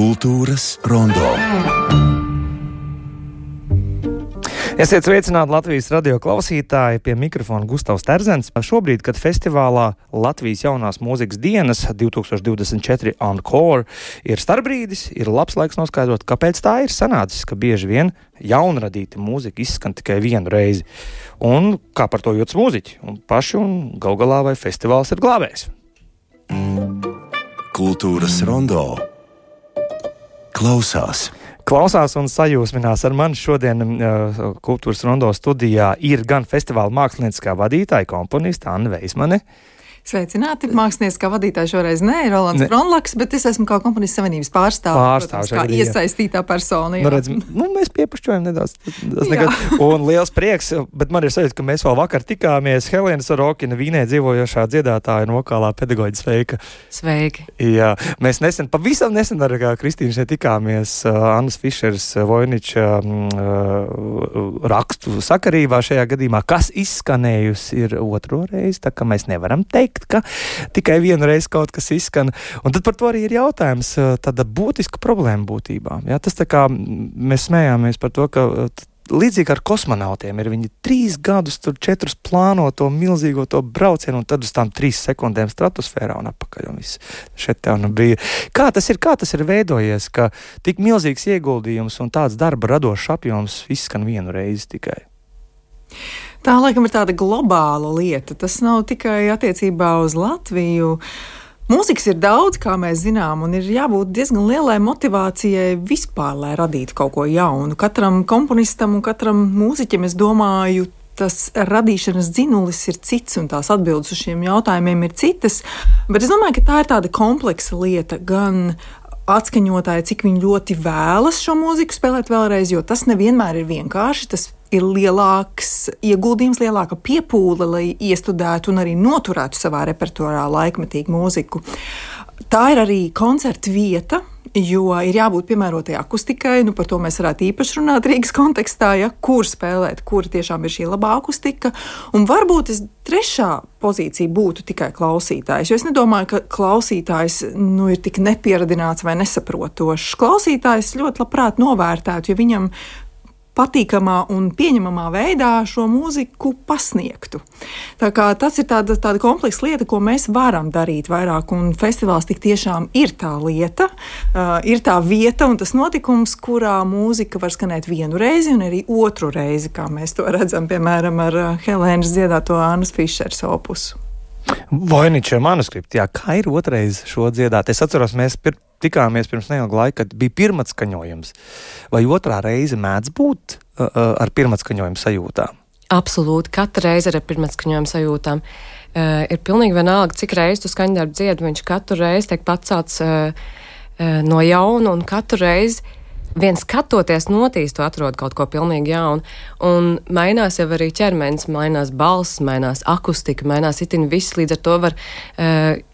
Kultūras rondo. Esiet sveicināti Latvijas radio klausītāji, pie mikrofona Gustavs Terzens. Šobrīd, kad festivālā Latvijas jaunās mūzikas dienas 2024 Encore ir starpbrīdis, ir labs laiks noskaidrot, kāpēc tā ir sanācis, ka bieži vien jaunradīta mūzika izskan tikai vienu reizi. Un kā par to jūtas mūziķi un paši, un gal galā vai festivāls ir glābējs. Kultūras rondo. Klausās un sajūsminās ar mani šodien Kultūras rondo studijā ir gan festivāla mākslinieckā vadītāja, komponista Anna Veismane. Sveicināti, mākslinieckā vadītāja šoreiz ir Rolands Bronlaks, bet es esmu kā komponistu savienības pārstāvis, kā iesaistītā persona. Mēs piepušķojam nedaudz. Un liels prieks, bet man ir sajūta, ka mēs vēl vakar tikāmies. Helēna Sorokina, Vīnē dzīvojošā dziedātāja un vokālā pedagoģa, sveika. Sveiki. Jā, mēs pavisam nesen ar Kristīnu šeit tikāmies Annas Fišeras Voiniča rakstu sakarībā šajā gadījumā, kas izskanējusi ir otro reizi, tā ka mēs nevaram teikt, ka tikai vienu reizi kaut kas izskan. Un tad par to arī ir jautājums, tāda būtiska problēma būtībā. Jā, tas tā kā mēs smējāmies par to, ka līdzīgi ar kosmonautiem ir viņi 3 gadus, 4 plāno to milzīgo to braucienu, un tad uz tām 3 sekundēm stratosfērā un atpakaļ, un viss šeit tā nu bija. Kā tas ir veidojies, ka tik milzīgs ieguldījums un tāds darba radošs apjoms izskan vienu reizi tikai? Tā, laikam, ir tāda globāla lieta. Tas nav tikai attiecībā uz Latviju. Mūzikas ir daudz, kā mēs zinām, un ir jābūt diezgan lielai motivācijai vispār, lai radītu kaut ko jaunu. Katram komponistam un katram mūziķim, es domāju, tas radīšanas dzinulis ir cits, un tās atbildes uz šiem jautājumiem ir citas. Bet es domāju, ka tā ir tāda kompleksa lieta, gan atskaņotāji, cik viņi ļoti vēlas šo mūziku spēlēt vēlreiz, jo tas nevienmēr ir vienkārši, tas ir lielāks ieguldījums, lielāka piepūle, lai iestudētu un arī noturētu savā repertuārā laikmetīgu mūziku. Tā ir arī koncerta vieta, jo ir jābūt piemērotai akustikai, par to mēs varētu īpaši runāt Rīgas kontekstā, kur spēlēt, kur tiešām ir šī labā akustika, un varbūt trešā pozīcija būtu tikai klausītājs, jo es nedomāju, ka klausītājs ir tik nepieradināts vai nesaprotošs. Klausītājs ļoti labprāt novērtētu, ja viņam patīkamā un pieņemamā veidā šo mūziku pasniegtu. Tā kā tas ir tāda kompleksa lieta, ko mēs varam darīt vairāk, un festivāls tik tiešām ir tā lieta, ir tā vieta un tas notikums, kurā mūzika var skanēt vienu reizi un arī otru reizi, kā mēs to redzam, piemēram, ar Helēnas dziedāto Annas Fišeras opusu. Voiniča manuskripti, kā ir otrais šo dziedāt? Es atceros, mēs tikāmies pirms neilga laika, kad bija pirmatskaņojums. Vai otrā reize mēdz būt ar pirmatskaņojumu sajūtām? Absolūti, katra reize ir ar pirmatskaņojumu sajūtām. Ir pilnīgi vienalga, cik reizi tu skaņdarbu dziedi, viņš katru reizi tiek pacelts no jauna, un katru reizi viens skatoties notīs, tu atrod kaut ko pilnīgi jaunu. Un mainās jau arī ķermenis, mainās balss, mainās akustika, mainās itin viss. Līdz ar to var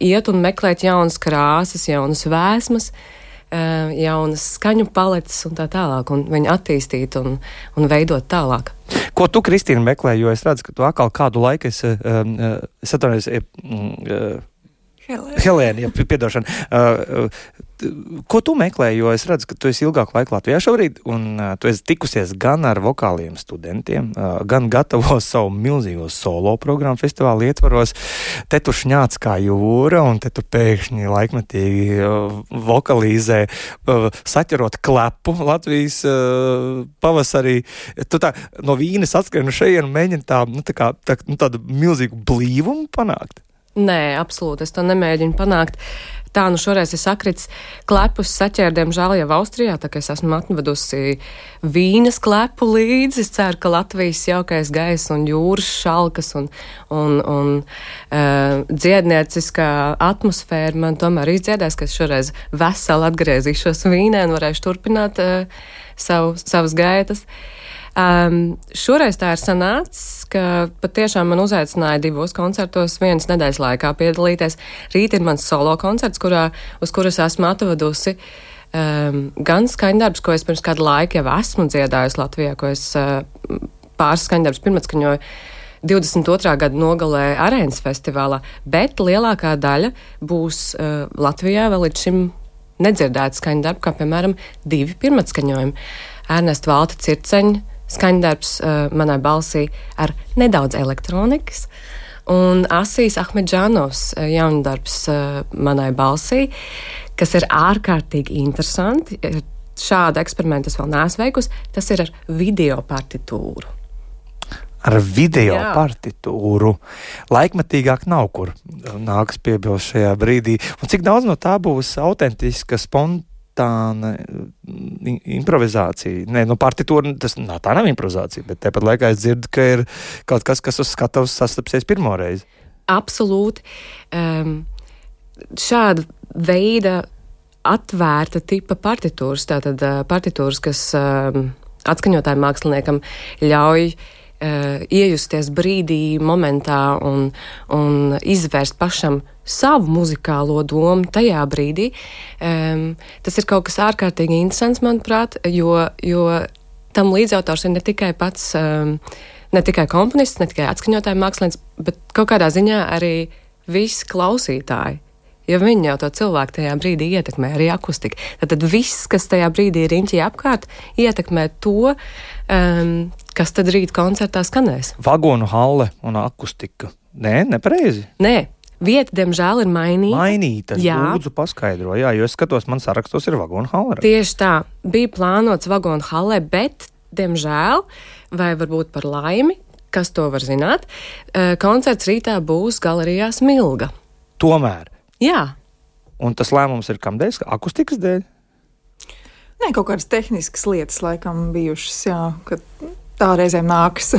iet un meklēt jaunas krāsas, jaunas vēsmas, jaunas skaņu paletes un tā tālāk. Un viņu attīstīt un veidot tālāk. Ko tu, Kristīna, meklē? Jo es redzu, ka tu atkal kādu laiku Helēna, piedošana. Ko tu meklē, jo es redzu, ka tu esi ilgāku laiku Latvijā šobrīd, un tu esi tikusies gan ar vokāliem studentiem, gan gatavo savu milzīgo solo programmu festivāla ietvaros. Te tu šņāc kā jūra, un te tu pēkšņi laikmetīgi vokalizē, saķerot klepu Latvijas pavasarī. Tu tā no Vīnes atskrien uz šejienu un mēģini tādu milzīgu blīvumu panākt. Nē, absolūti, es to nemēģinu panākt. Tā, šoreiz es sakrits klepus saķēru, diemžēl jau Austrijā, tā kā es esmu atvedusi Vīnes klepu līdzi. Es ceru, ka Latvijas jaukais gaiss un jūras šalkas un dziednieciskā atmosfēra man tomēr izdziedēs, ka es šoreiz veseli atgriezīšos Vīnē un varēšu turpināt savas gaitas. Šoreiz tā ir sanācis, ka patiešām man uzaicināja 2 koncertos vienas nedēļas laikā piedalīties. Rīt ir mans solo koncerts, uz kuras esmu atvedusi gan skaņdarbus, ko es pirms kādu laiku jau esmu dziedājusi Latvijā, ko es pāris skaņdarbus pirmatskaņoju 22. gada nogalē Arēnas festivālā, bet lielākā daļa būs Latvijā vēl līdz šim nedzirdētu skaņdarbu, kā piemēram 2 pirmatskaņojumi. Ernesta Valta Circeņa skaņdarbs manai balsī ar nedaudz elektronikas, un Asijas Ahmedžānovs jaundarbs manai balsī, kas ir ārkārtīgi interesanti. Šādu eksperimentu es vēl neesmu veikusi. Tas ir ar video partitūru. Ar video partitūru. Laikmetīgāk nav kur nāks piebilst šajā brīdī. Un cik daudz no tā būs autentiska, spontāna improvizācija? Nē, no partitūra, tā nav improvizācija, bet tāpat laikā es dzirdu, ka ir kaut kas, kas uz skatavas sastapsies pirmoreiz. Absolūti. Šāda veida atvērta tipa partitūras, tātad partitūras, kas atskaņotājiem māksliniekam ļauj iejusties brīdī, momentā un izvērst pašam savu muzikālo domu tajā brīdī. Tas ir kaut kas ārkārtīgi interesants, manuprāt, jo tam līdzautors ir ne tikai pats, ne tikai komponists, ne tikai atskaņotājiem mākslinieks, bet kaut kādā ziņā arī visi klausītāji. Jo viņi jau to cilvēku tajā brīdī ietekmē, arī akustika. Tad viss, kas tajā brīdī ir riņķī apkārt, ietekmē to, kas tad rīt koncertā skanēs. Vagonu halle un akustika. Nē, nepareizi. Nē, vieta, diemžēl, ir mainīta. Mainīta, lūdzu paskaidro. Jā, jo es skatos, man sarakstos ir vagonu halle. Tieši tā, bija plānots vagonu halle, bet, diemžēl, vai varbūt par laimi, kas to var zināt, koncerts rītā būs galerijā Smilga. Tomēr. Jā. Un tas lēmums ir kam dēļ? Akustikas dēļ? Nē, kaut kādas tehniskas lietas laikam bijušas, jā, ka tā reizēm nākas.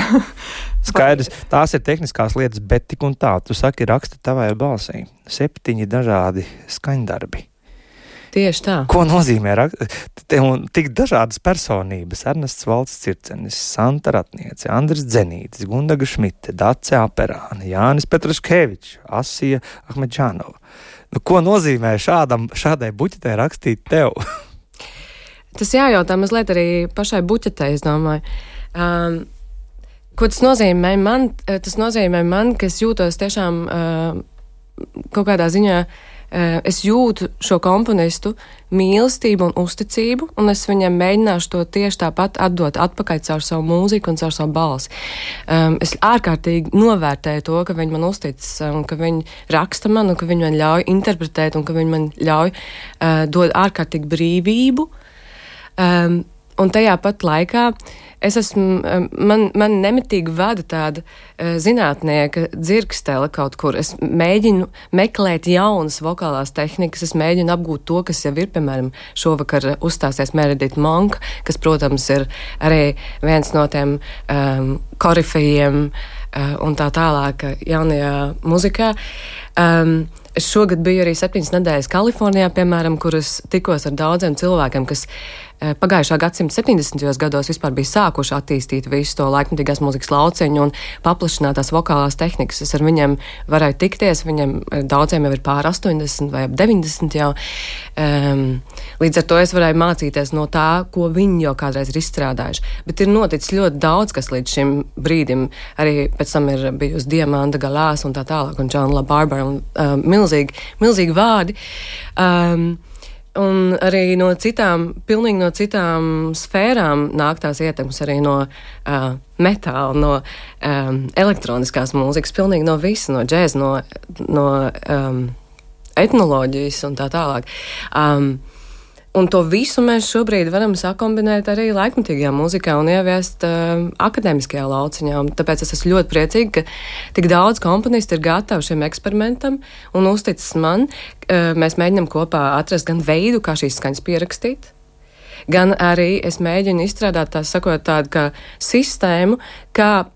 Skaidrs, tās ir tehniskās lietas, bet tik un tā, tu saki, raksta tavai balsī. 7 dažādi skaņdarbi. Tieši tā. Ko nozīmē tik dažādas personības? Ernests Valts Circenis, Santa Ratniece, Andris Dzenītis, Gundaga Šmite, Dace Aperāne, Jānis Petraškevičs, Asija Ahmedžānova. Ko nozīmē šādai buķetē rakstīt tev? Tas jājautā mazliet arī pašai buķetē, es domāju. Ko tas nozīmē man? Tas nozīmē man, ka es jūtos tiešām kaut kādā ziņā. Es jūtu šo komponistu mīlestību un uzticību, un es viņam mēģināšu to tieši tāpat atdot atpakaļ caur savu mūziku un caur savu balsi. Es ārkārtīgi novērtēju to, ka viņi man uztic, un ka viņi raksta man, un ka viņi man ļauj interpretēt, un ka viņi man ļauj dod ārkārtīgi brīvību. Un tajā pat laikā man nemitīgi vada tāda zinātnieka dzirkstele kaut kur. Es mēģinu meklēt jaunas vokālās tehnikas, es mēģinu apgūt to, kas jau ir, piemēram, šovakar uzstāsies Meredith Monk, kas, protams, ir arī viens no tiem korifejiem un tā tālāk jaunajā muzikā. Es šogad biju arī 7 nedēļas Kalifornijā, piemēram, kur es tikos ar daudziem cilvēkiem, kas pagājušā gadsimta 70. gados vispār bija sākuši attīstīt visu to laikmetīgās mūzikas lauciņu un paplašinātās vokālās tehnikas. Es ar viņiem varēju tikties, viņiem daudziem jau ir pār 80 vai 90 jau. Līdz ar to es varēju mācīties no tā, ko viņi jau kādreiz ir izstrādājuši. Bet ir noticis ļoti daudz, kas līdz šim brīdim, arī pēc tam ir bijusi Diamanda Galās un tā tālāk, un John LaBarbera un milzīgi vārdi. Un arī pilnīgi no citām sfērām nāk tās ietekmes, arī no metāla, no elektroniskās mūzikas, pilnīgi no visa, no džēza, no etnoloģijas un tā tālāk. Un to visu mēs šobrīd varam sakombinēt arī laikmetīgajā mūzikā un ieviest akadēmiskajā lauciņā. Un tāpēc es esmu ļoti priecīga, ka tik daudz komponisti ir gatavi šiem eksperimentam un uzticis man. Mēs mēģinam kopā atrast gan veidu, kā šīs skaņas pierakstīt, gan arī es mēģinu izstrādāt tādu kā sistēmu, kā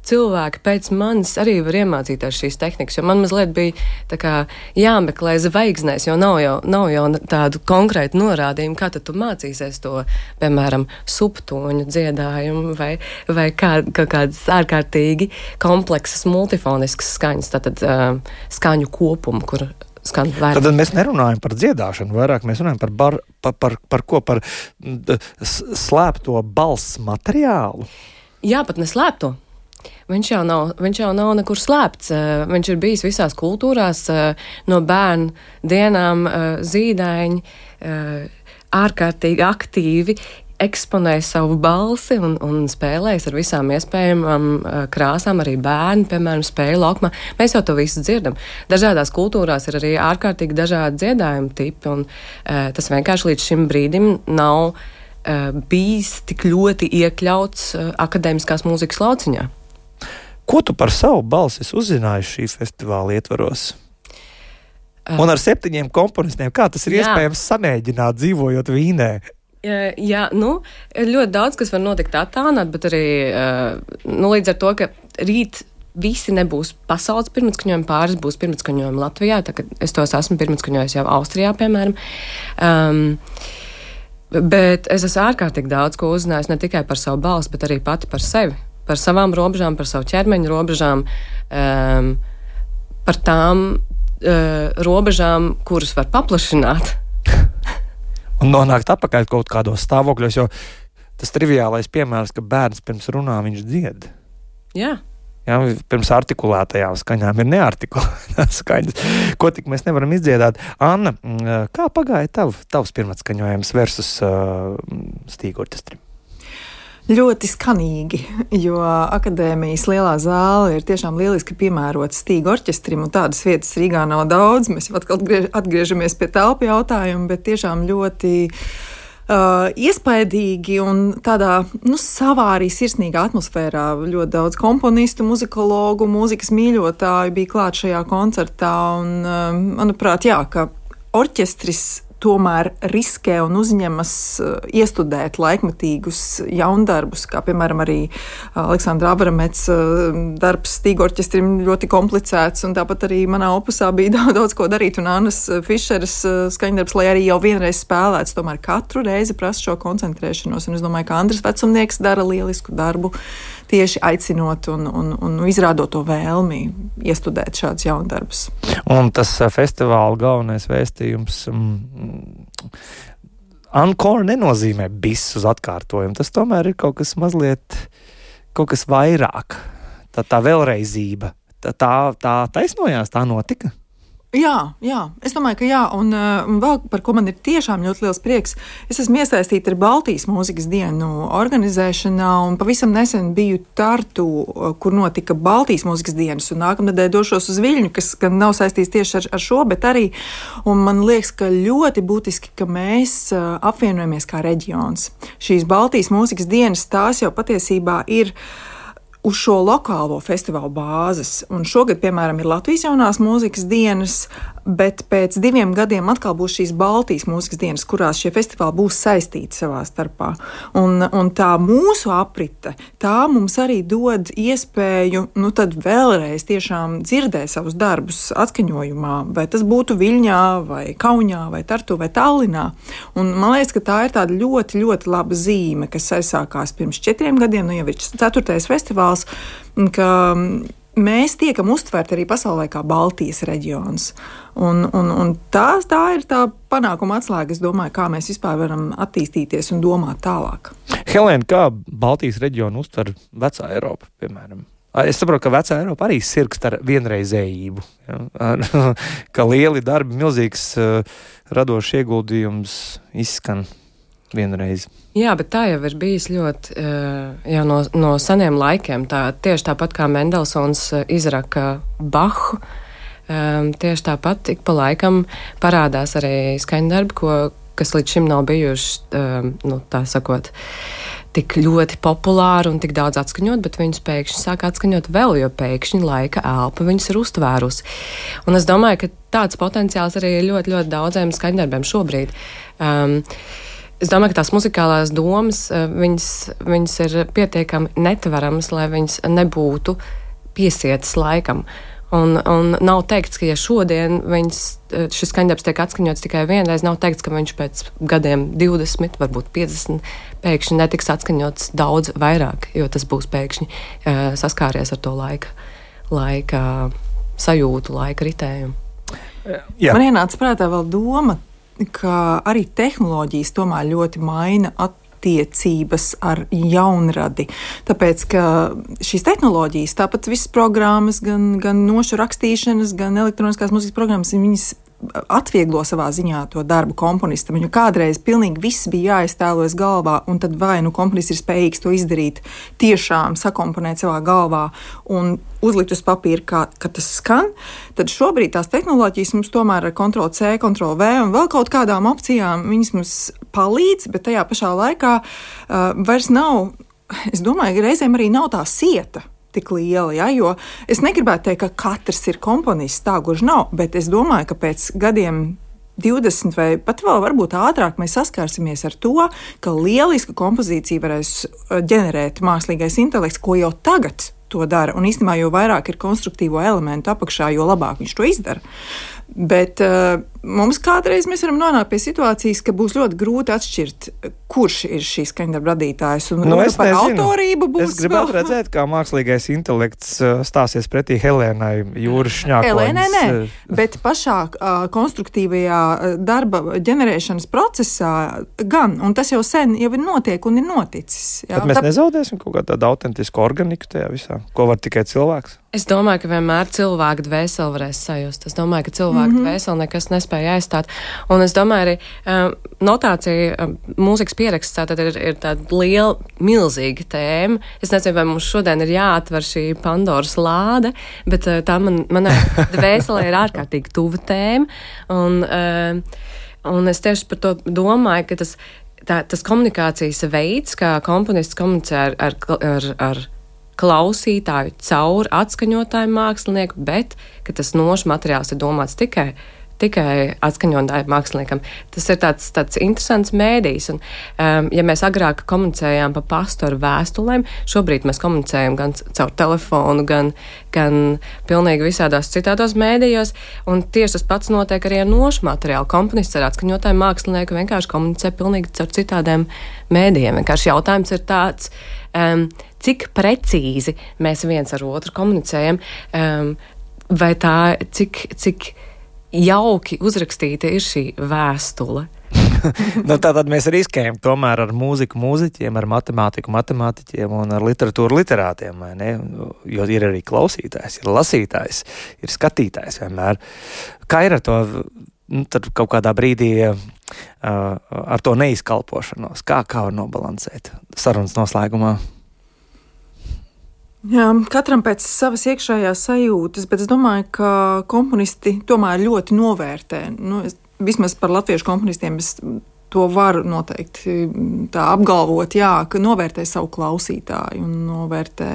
cilvēki pēc manis arī var iemācīties šīs tehnikas, jo man mazliet bija tā kā jāmeklē zvaigznēs, jo nav jau tādu konkrētu norādījumu, kā tad tu mācīsies to, piemēram, subtoņu dziedājumu vai kādas ārkārtīgi kompleksas multifoniskas skaņas, tātad skaņu kopumu, kur skan vairāk. Tad mēs nerunājam par dziedāšanu, vairāk mēs runājam par ko? Par slēpto balss materiālu? Jā, pat neslēpto. Viņš jau nav nekur slēpts. Viņš ir bijis visās kultūrās, no bērnu dienām zīdaiņi, ārkārtīgi aktīvi eksponē savu balsi un spēlējas ar visām iespējamām krāsām. Arī bērni, piemēram, spēja laukumā. Mēs jau to visu dzirdam. Dažādās kultūrās ir arī ārkārtīgi dažādi dziedājuma tipi, un tas vienkārši līdz šim brīdim nav bijis tik ļoti iekļauts akadēmiskās mūzikas lauciņā. Ko tu par savu balsi uzzināji šī festivāla ietvaros? Un ar 7 komponistiem, kā tas ir iespējams samēģināt, dzīvojot Vīnē? Jā, ļoti daudz, kas var notikt attālināt, bet arī līdz ar to, ka rīt visi nebūs pasaules pirmatskaņojumi, pāris būs pirmatskaņojumi Latvijā, tā ka es tos esmu pirmatskaņojis jau Austrijā, piemēram. Bet es esmu ārkārtīgi daudz ko uzzinājis ne tikai par savu balsi, bet arī pati par sevi, par savām robežām, par savu ķermeņa robežām, par tām robežām, kuras var paplašināt. Un nonākt atpakaļ kaut kādos stāvokļos, jo tas triviālais piemērs, ka bērns pirms runā, viņš dzied. Jā. Jā, pirms artikulētajām skaņām ir neartikulētās skaņas, ko tik mēs nevaram izdziedāt. Anna, kā pagāja tavs pirmatskaņojums versus stīgorķestrim? Ļoti skanīgi, jo akadēmijas lielā zāle ir tiešām lieliski piemērota stīgu orķestrim, un tādas vietas Rīgā nav daudz. Mēs jau atkal atgriežamies pie telpu jautājumu, bet tiešām ļoti iespaidīgi un tādā savā arī sirsnīgā atmosfērā. Ļoti daudz komponistu, muzikologu, mūzikas mīļotāju bija klāt šajā koncertā, un manuprāt, jā, ka orķestris tomēr riskē un uzņemas iestudēt laikmetīgus jaundarbus, kā piemēram arī Aleksandra Abramets darbs stīgu orķestrim ļoti komplicēts, un tāpat arī manā opusā bija daudz ko darīt, un Annas Fišeras skaņdarbs, lai arī jau vienreiz spēlēts, tomēr katru reizi prasa šo koncentrēšanos, un es domāju, ka Andris Vecumnieks dara lielisku darbu, tieši aicinot un izrādot to vēlmi iestudēt šādus jaundarbus. Un tas festivāla galvenais vēstījums encore nenozīmē bis uz atkārtojumu. Tas tomēr ir kaut kas mazliet, kaut kas vairāk. Tā vēlreizība. Tā taisnojās, tā notika? Jā, es domāju, ka jā, un vēl par ko man ir tiešām ļoti liels prieks. Es esmu iesaistīta ar Baltijas mūzikas dienu organizēšanā, un pavisam nesen biju Tartu, kur notika Baltijas mūzikas dienas, un nākamnedēļ došos uz Viļņu, kas gan nav saistīts tieši ar šo, bet arī, un man liekas, ka ļoti būtiski, ka mēs apvienojamies kā reģions. Šīs Baltijas mūzikas dienas, tās jau patiesībā ir uz šo lokālo festivālu bāzes. Un šogad, piemēram, ir Latvijas jaunās mūzikas dienas, bet pēc 2 gadiem atkal būs šīs Baltijas mūzikas dienas, kurās šie festivāli būs saistīti savā starpā. Un tā mūsu aprite, tā mums arī dod iespēju, tad vēlreiz tiešām dzirdēt savus darbus atskaņojumā, vai tas būtu Viļņā, vai Kaunijā, vai Tartu, vai Tallinā. Un man liekas, ka tā ir tāda ļoti, ļoti laba zīme, kas aizsākās pirms 4 gadiem, jau ir 4. festivāls, ka mēs tiekam uztverti arī pasaulē kā Baltijas reģions. Un tā ir tā panākuma atslēga, es domāju, kā mēs vispār varam attīstīties un domāt tālāk. Helēna, kā Baltijas reģionu uztver vecā Eiropa, piemēram? Es saprotu, ka vecā Eiropa arī sirgst ar vienreizējību, ka lieli darbi, milzīgs radošs ieguldījums izskan vienreiz. Jā, bet tā jau ir bijis ļoti jau no seniem laikiem. Tieši tāpat kā Mendelsons izraka Bahu, tieši tāpat ik pa laikam parādās arī skaņdarbi, kas līdz šim nav bijuši, tā sakot, tik ļoti populāri un tik daudz atskaņot, bet viņus pēkšņi sāk atskaņot vēl, jo pēkšņi laika elpa viņus ir uztvērusi. Un es domāju, ka tāds potenciāls arī ir ļoti, ļoti daudziem skaņdarbiem šobrīd. Es domāju, ka tās muzikālās domas, viņas ir pietiekami netveramas, lai viņas nebūtu piesietas laikam. Un nav teikts, ka ja šodien šis skaņdarbs tiek atskaņots tikai vienreiz, nav teikts, ka viņš pēc gadiem 20, varbūt 50, pēkšņi netiks atskaņots daudz vairāk, jo tas būs pēkšņi saskāries ar to laika sajūtu, laika ritējumu. Man ienāca prātā vēl doma, ka arī tehnoloģijas tomēr ļoti maina attiecības ar jaunradi. Tāpēc, ka šīs tehnoloģijas, tāpat visas programmas, gan nošu rakstīšanas, gan elektroniskās mūzikas programmas, viņas atvieglo savā ziņā to darbu komponistam. Jo kādreiz pilnīgi viss bija jāiztēlojas galvā, un tad vai nu komponists ir spējīgs to izdarīt, tiešām sakomponēt savā galvā un uzlikt uz papīra, ka tas skan, tad šobrīd tās tehnoloģijas mums tomēr ar Ctrl+C, Ctrl+V un vēl kaut kādām opcijām viņas mums palīdz, bet tajā pašā laikā vairs nav, es domāju, ka reizēm arī nav tā sieta tik liela, ja, jo es negribētu teikt, ka katrs ir komponists, tā gluži nav, bet es domāju, ka pēc gadiem 20 vai pat vēl varbūt ātrāk mēs saskārsimies ar to, ka lielisku kompozīciju varēs ģenerēt mākslīgais intelekts, ko jau tagad to dara, un īstenībā jo vairāk ir konstruktīvo elementu apakšā, jo labāk viņš to izdara. Bet mums kādreiz mēs varam nonākt pie situācijas, ka būs ļoti grūti atšķirt, kurš ir šīs skaņdarba radītājs. Un par autorību būs. Es gribētu redzēt, kā mākslīgais intelekts stāsies pretī Helēnai Jūras Šņākoņas. Helēnai nē, bet pašā konstruktīvajā darba ģenerēšanas procesā gan, un tas jau sen jau ir notiek un ir noticis. Jā. Bet mēs nezaudēsim kaut kādu tādu autentisku organiku tajā visā, ko var tikai cilvēks? Es domāju, ka vienmēr cilvēka dvēseli varēs sajust. Es domāju, ka cilvēka dvēseli nekas nespēja aizstāt. Un es domāju, arī notācija, mūzikas pieraksts tātad ir tāda liela, milzīga tēma. Es nezinu, vai mums šodien ir jāatver šī Pandoras lāde, bet tā manai dvēselē ir ārkārtīgi tuva tēma. Un es tieši par to domāju, ka tas komunikācijas veids, kā komponists komunicē ar klausītāju caur atskaņotāju mākslinieku, bet ka tas nošu materiāls ir domāts tikai atskaņotāju māksliniekam. Tas ir tāds interesants mēdījis. Un, ja mēs agrāk komunicējām pa pastu ar vēstulēm, šobrīd mēs komunicējam gan caur telefonu, gan pilnīgi visādās citādos mēdījos. Un tieši tas pats notiek arī ar nošu materiālu. Komponists ar atskaņotāju mākslinieku vienkārši komunicē pilnīgi caur citādiem mēdījiem. Vienkārši jautājums ir tāds, cik precīzi mēs viens ar otru komunicējam, vai tā, cik jauki uzrakstīta ir šī vēstule. Tātad mēs riskējam tomēr ar mūziku mūziķiem, ar matemātiku matemātiķiem un ar literatūru literātiem, vai ne? Jo ir arī klausītājs, ir lasītājs, ir skatītājs vienmēr. Kā ir ar to, tad kaut kādā brīdī ar to neizkalpošanos? Kā var nobalansēt sarunas noslēgumā? Jā, katram pēc savas iekšējās sajūtas, bet es domāju, ka komponisti tomēr ļoti novērtē. Vismaz par latviešu komponistiem es to varu noteikti tā apgalvot, jā, ka novērtē savu klausītāju un novērtē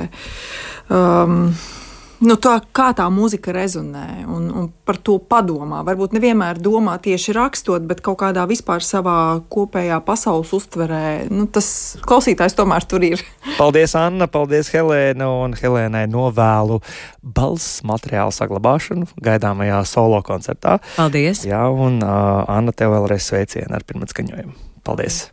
tā, kā tā mūzika rezonē un par to padomā. Varbūt nevienmēr domā tieši rakstot, bet kaut kādā vispār savā kopējā pasaules uztverē. Tas klausītājs tomēr tur ir. Paldies, Anna, paldies, Helēna, un Helēnai novēlu balss materiālu saglabāšanu gaidāmajā solo koncertā. Paldies! Jā, un Anna, tev vēlreiz sveicienu ar pirmatskaņojumu. Paldies!